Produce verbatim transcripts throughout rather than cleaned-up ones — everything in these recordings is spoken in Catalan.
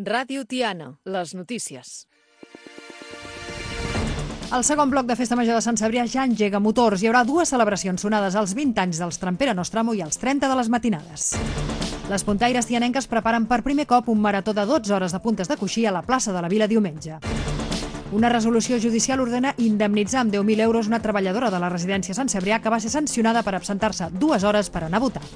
Ràdio Tiana, les notícies. El segon bloc de Festa Major de Sant Cebrià ja engega motors. Hi haurà dues celebracions sonades als vint anys dels Trampera Nostramo i als trenta de les matinades. Les puntaires tianenques preparen per primer cop un marató de dotze hores de puntes de coixí a la plaça de la Vila diumenge. Una resolució judicial ordena indemnitzar amb deu mil euros una treballadora de la residència Sant Cebrià que va ser sancionada per absentar-se dues hores per anar a votar.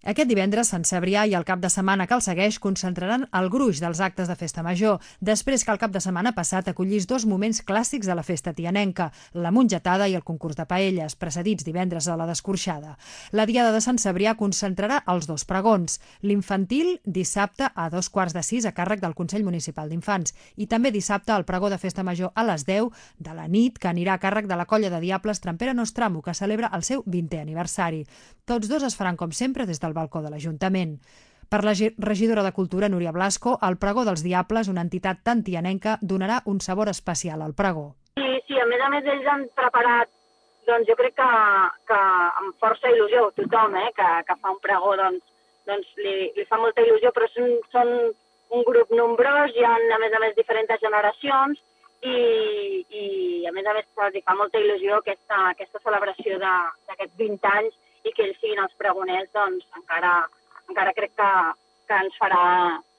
Aquest divendres, Sant Cebrià i el cap de setmana que el segueix concentraran el gruix dels actes de Festa Major, després que el cap de setmana passat acollís dos moments clàssics de la festa tianenca, la mongetada i el concurs de paelles, precedits divendres de la descorxada. La diada de Sant Cebrià concentrarà els dos pregons, l'infantil dissabte a dos quarts de sis a càrrec del Consell Municipal d'Infants i també dissabte el pregó de Festa Major a les deu de la nit que anirà a càrrec de la colla de diables Trampera Nostramo que celebra el seu vintè aniversari. Tots dos es faran com sempre des del balcó de l'Ajuntament. Per la regidora de Cultura, Núria Blasco, el pregó dels Diables, una entitat tan tianenca, donarà un sabor especial al pregó. Sí, sí, a més a més ells han preparat, doncs jo crec que, que amb força il·lusió, tothom eh, que, que fa un pregó, doncs, doncs li, li fa molta il·lusió, però són, són un grup nombrós, hi ha a més a més diferents generacions i, i a més a més els fa molta il·lusió aquesta, aquesta celebració d'aquests vint anys i que ells siguin els pregoners, doncs encara, encara crec que, que ens farà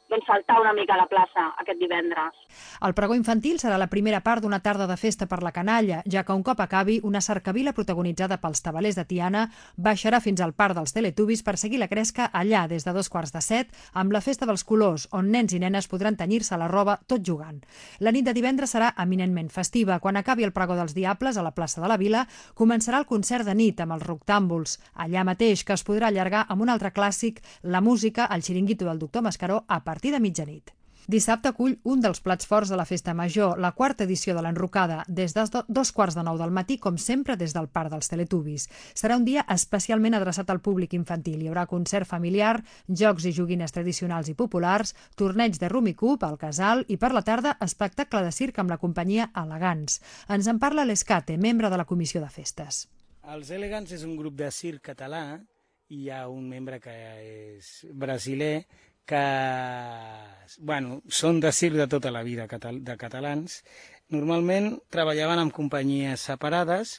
doncs, saltar una mica a la plaça aquest divendres. El pregó infantil serà la primera part d'una tarda de festa per la canalla, ja que un cop acabi, una cercavila protagonitzada pels tabalers de Tiana baixarà fins al parc dels Teletubbies per seguir la cresca allà des de dos quarts de set amb la festa dels colors, on nens i nenes podran tenyir-se la roba tot jugant. La nit de divendres serà eminentment festiva. Quan acabi el pregó dels Diables a la plaça de la Vila, començarà el concert de nit amb els Roctàmbuls, allà mateix, que es podrà allargar amb un altre clàssic, la música, el xiringuito del doctor Mascaró, a partir de mitjanit. Dissabte acull un dels plats forts de la Festa Major, la quarta edició de l'Enrocada, des de dos quarts de nou del matí, com sempre, des del Parc dels Teletubbies. Serà un dia especialment adreçat al públic infantil. Hi haurà concert familiar, jocs i joguines tradicionals i populars, torneig de Rumicup al Casal i per la tarda espectacle de circ amb la companyia Elegants. Ens en parla l'Escate, membre de la Comissió de Festes. Els Elegants és un grup de circ català i hi ha un membre que és brasiler que bueno, són de circ de tota la vida de catalans. Normalment treballaven en companyies separades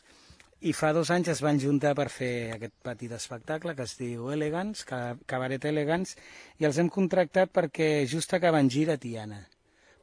i fa dos anys es van juntar per fer aquest petit espectacle que es diu Elegants, Cabaret Elegants, i els hem contractat perquè just acaben gira a Tiana.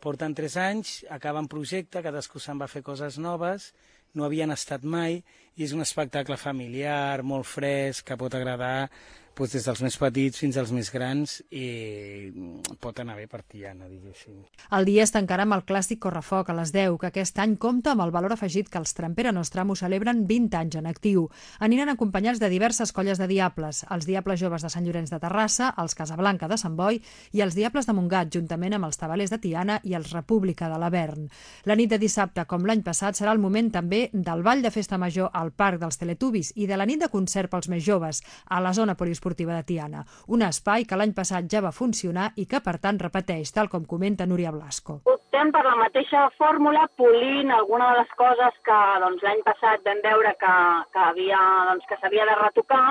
Porten tres anys, acaben projecte, cadascú se'n va fer coses noves, no havien estat mai, i és un espectacle familiar, molt fresc, que pot agradar doncs, des dels més petits fins als més grans i pot anar bé per Tiana, diguéssim. El dia es tancarà amb el clàssic Correfoc a les deu, que aquest any compta amb el valor afegit que els Trampera Nostramo celebren vint anys en actiu. Aniran acompanyats de diverses colles de diables, els Diables Joves de Sant Llorenç de Terrassa, els Casablanca de Sant Boi i els Diables de Montgat, juntament amb els Tabalers de Tiana i els República de l'Avern. La nit de dissabte, com l'any passat, serà el moment també del ball de Festa Major al Parc dels Teletubbies i de la nit de concert pels més joves a la zona poliesportiva de Tiana, un espai que l'any passat ja va funcionar i que, per tant, repeteix, tal com comenta Núria Blasco. Optem per la mateixa fórmula, polint alguna de les coses que doncs, l'any passat vam veure que, que havia, doncs, que s'havia de retocar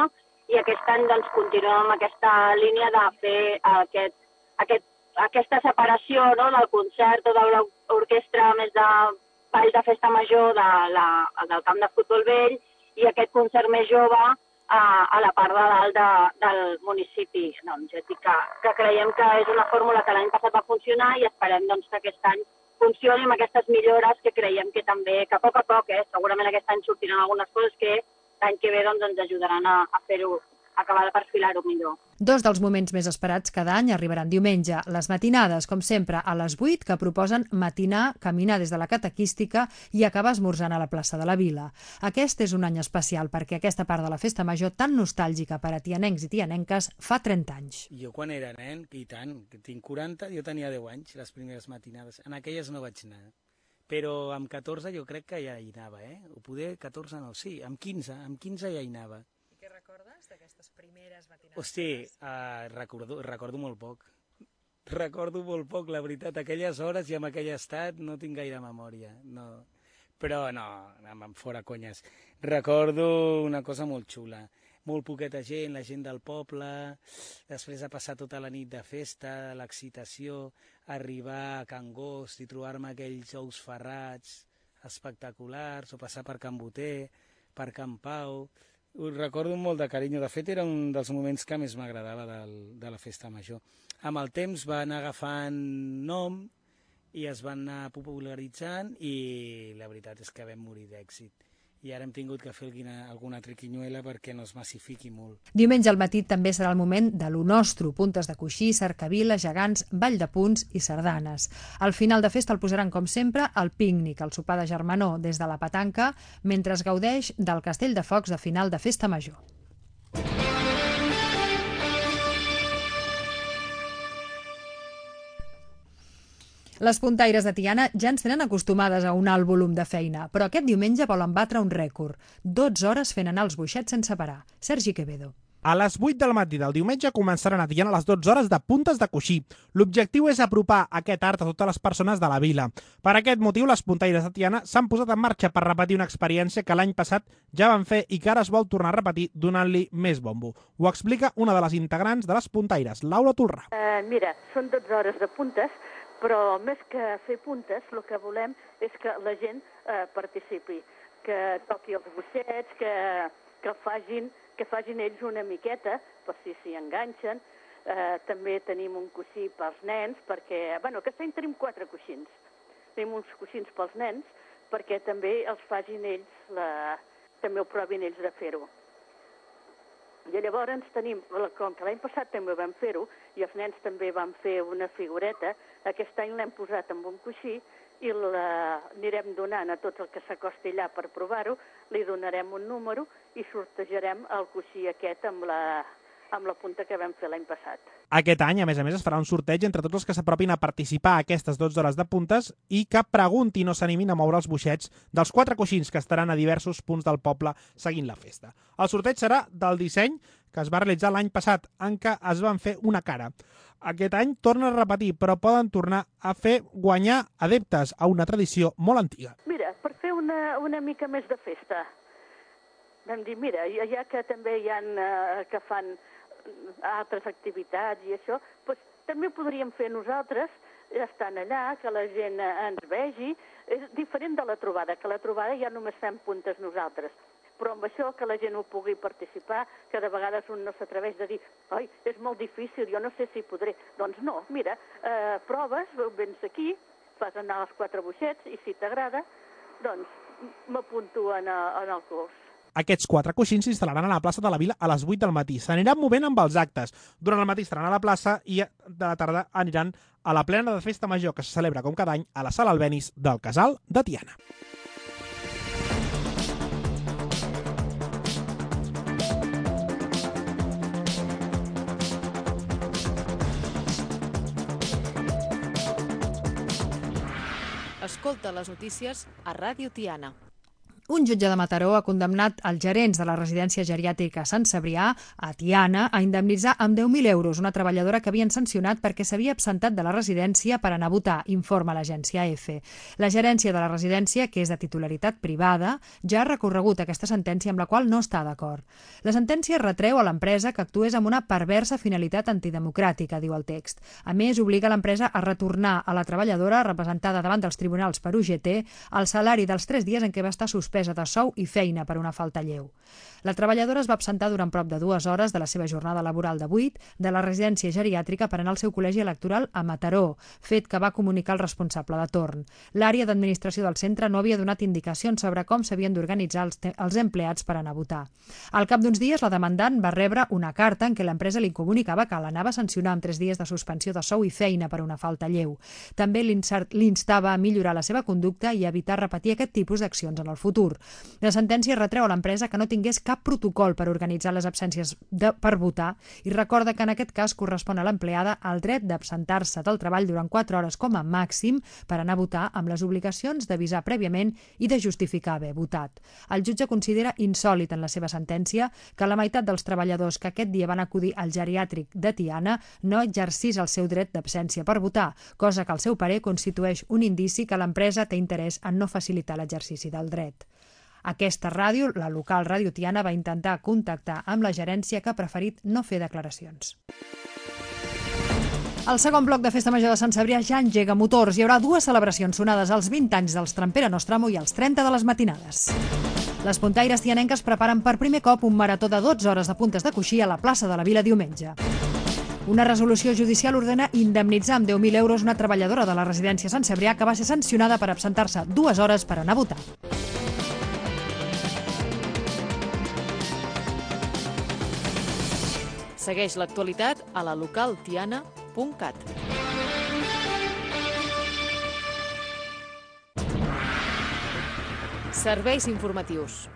i aquest any doncs, continuem amb aquesta línia de fer aquest, aquest, aquesta separació no, del concert o de l'orquestra més de ball de Festa Major de la, del camp de futbol vell i aquest concert més jove a, a la part de dalt de, del municipi. Doncs, ja dic que, que creiem que és una fórmula que l'any passat va funcionar i esperem doncs, que aquest any funcioni amb aquestes millores que creiem que també, que a poc a poc, eh, segurament aquest any sortiran algunes coses que l'any que ve doncs, ens ajudaran a, a fer-ho, a acabar de perfilar-ho millor. Dos dels moments més esperats cada any arribaran diumenge. Les matinades, com sempre, a les vuit, que proposen matinar, caminar des de la catequística i acabar esmorzant a la plaça de la Vila. Aquest és un any especial perquè aquesta part de la Festa Major tan nostàlgica per a tianencs i tianenques fa trenta anys. Jo quan era nen, i tant, que tinc quaranta, jo tenia deu anys, les primeres matinades. En aquelles no vaig anar, però amb catorze jo crec que ja hi anava, eh? O poder catorze no, sí, amb quinze, amb quinze ja hi anava. Què recordes d'aquestes primeres matinades? Hosti, uh, recordo, recordo molt poc. Recordo molt poc, la veritat. Aquelles hores i en aquell estat no tinc gaire memòria. No. Però no, amb fora conyes. Recordo una cosa molt xula. molt poqueta gent, la gent del poble, després de passar tota la nit de festa, l'excitació, arribar a Can Gost i trobar-me aquells ous ferrats espectaculars, o passar per Can Boter, per Can Pau. Ho recordo molt de carinyo. De fet, era un dels moments que més m'agradava de la festa major. Amb el temps va anar agafant nom i es van anar popularitzant i la veritat és que vam morir d'èxit. I ara hem tingut que fer alguna triquinyuela perquè no es massifiqui molt. Diumenge al matí també serà el moment de lo nostre, puntes de coixí, cercavila, gegants, ball de punts i sardanes. Al final de festa el posaran, com sempre, el pícnic, el sopar de germanor des de la petanca, mentre es gaudeix del castell de focs de final de festa major. Les puntaires de Tiana ja ens tenen acostumades a un alt volum de feina, però aquest diumenge volen batre un rècord. dotze hores fent anar els boixets sense parar. Sergi Quevedo. A les vuit del matí del diumenge començaran a Tiana les dotze hores de puntes de coixí. L'objectiu és apropar aquest art a totes les persones de la vila. Per aquest motiu, les puntaires de Tiana s'han posat en marxa per repetir una experiència que l'any passat ja van fer i que ara es vol tornar a repetir donant-li més bombo. Ho explica una de les integrants de les puntaires, Laura Tolrà. Uh, mira, són dotze hores de puntes, però més que fer puntes, el que volem és que la gent eh, participi, que toqui els boixets, que, que, facin, que facin ells una miqueta, per si s'hi enganxen. Eh, també tenim un coixí pels nens, perquè, bueno, aquest any tenim quatre coixins. Tenim uns coixins pels nens, perquè també els facin ells, la, també ho provin ells de fer-ho. I llavors tenim, com que l'any passat també vam fer-ho, i els nens també van fer una figureta, aquest any l'hem posat amb un coixí i l'anirem donant a tots el que s'acosti allà per provar-ho, li donarem un número i sortejarem el coixí aquest amb la, amb la punta que vam fer l'any passat. Aquest any, a més a més, es farà un sorteig entre tots els que s'apropin a participar a aquestes dotze hores de puntes i que preguntin o s'animin a moure els boixets dels quatre coixins que estaran a diversos punts del poble seguint la festa. El sorteig serà del disseny que es va realitzar l'any passat, en què es van fer una cara. Aquest any torna a repetir, però poden tornar a fer guanyar adeptes a una tradició molt antiga. Mira, per fer una, una mica més de festa, vam dir, mira, ja que també hi ha eh, que fan altres activitats i això, doncs també ho podríem fer nosaltres, estant allà, que la gent ens vegi. És diferent de la trobada, que la trobada ja només fem puntes nosaltres. Però amb això que la gent ho pugui participar, que de vegades un no s'atreveix de dir «Ai, és molt difícil, jo no sé si podré». Doncs no, mira, eh, proves, vens aquí, fas anar els quatre boixets i si t'agrada, doncs m'apunto en, en el curs. Aquests quatre coixins s'instal·laran a la plaça de la Vila a les vuit del matí. S'aniran movent amb els actes. Durant el matí estaran a la plaça i de la tarda aniran a la plena de festa major que se celebra com cada any a la Sala Albéniz del Casal de Tiana. Escolta les notícies a Ràdio Tiana. Un jutge de Mataró ha condemnat els gerents de la residència geriàtrica Sant Cebrià, a Tiana, a indemnitzar amb deu mil euros una treballadora que havien sancionat perquè s'havia absentat de la residència per anar a votar, informa l'agència E F. La gerència de la residència, que és de titularitat privada, ja ha recorregut aquesta sentència amb la qual no està d'acord. La sentència retreu a l'empresa que actués amb una perversa finalitat antidemocràtica, diu el text. A més, obliga l'empresa a retornar a la treballadora, representada davant dels tribunals per U G T, el salari dels tres dies en què va estar suspès de sou i feina per una falta lleu. La treballadora es va absentar durant prop de dues hores de la seva jornada laboral de vuit de la residència geriàtrica per anar al seu col·legi electoral a Mataró, fet que va comunicar el responsable de torn. L'àrea d'administració del centre no havia donat indicacions sobre com s'havien d'organitzar els, els empleats per anar a votar. Al cap d'uns dies, la demandant va rebre una carta en què l'empresa li comunicava que l'anava a sancionar amb tres dies de suspensió de sou i feina per una falta lleu. També l'instava a millorar la seva conducta i a evitar repetir aquest tipus d'accions en el futur. La sentència retreu a l'empresa que no tingués cap protocol per organitzar les absències de, per votar i recorda que en aquest cas correspon a l'empleada el dret d'absentar-se del treball durant quatre hores com a màxim per anar a votar amb les obligacions d'avisar prèviament i de justificar haver votat. El jutge considera insòlit en la seva sentència que la meitat dels treballadors que aquest dia van acudir al geriàtric de Tiana no exercís el seu dret d'absència per votar, cosa que al seu parer constitueix un indici que l'empresa té interès en no facilitar l'exercici del dret. Aquesta ràdio, la local Ràdio Tiana, va intentar contactar amb la gerència, que ha preferit no fer declaracions. El segon bloc de Festa Major de Sant Cebrià ja engega motors. Hi haurà dues celebracions sonades als vint anys dels Trampera Nostramo i als trenta de les matinades. Les puntaires tianenques preparen per primer cop un marató de dotze hores de puntes de coixí a la plaça de la Vila diumenge. Una resolució judicial ordena indemnitzar amb deu mil euros una treballadora de la residència Sant Cebrià que va ser sancionada per absentar-se dues hores per anar a votar. Segueix l'actualitat a la local tiana punt cat. Serveis informatius.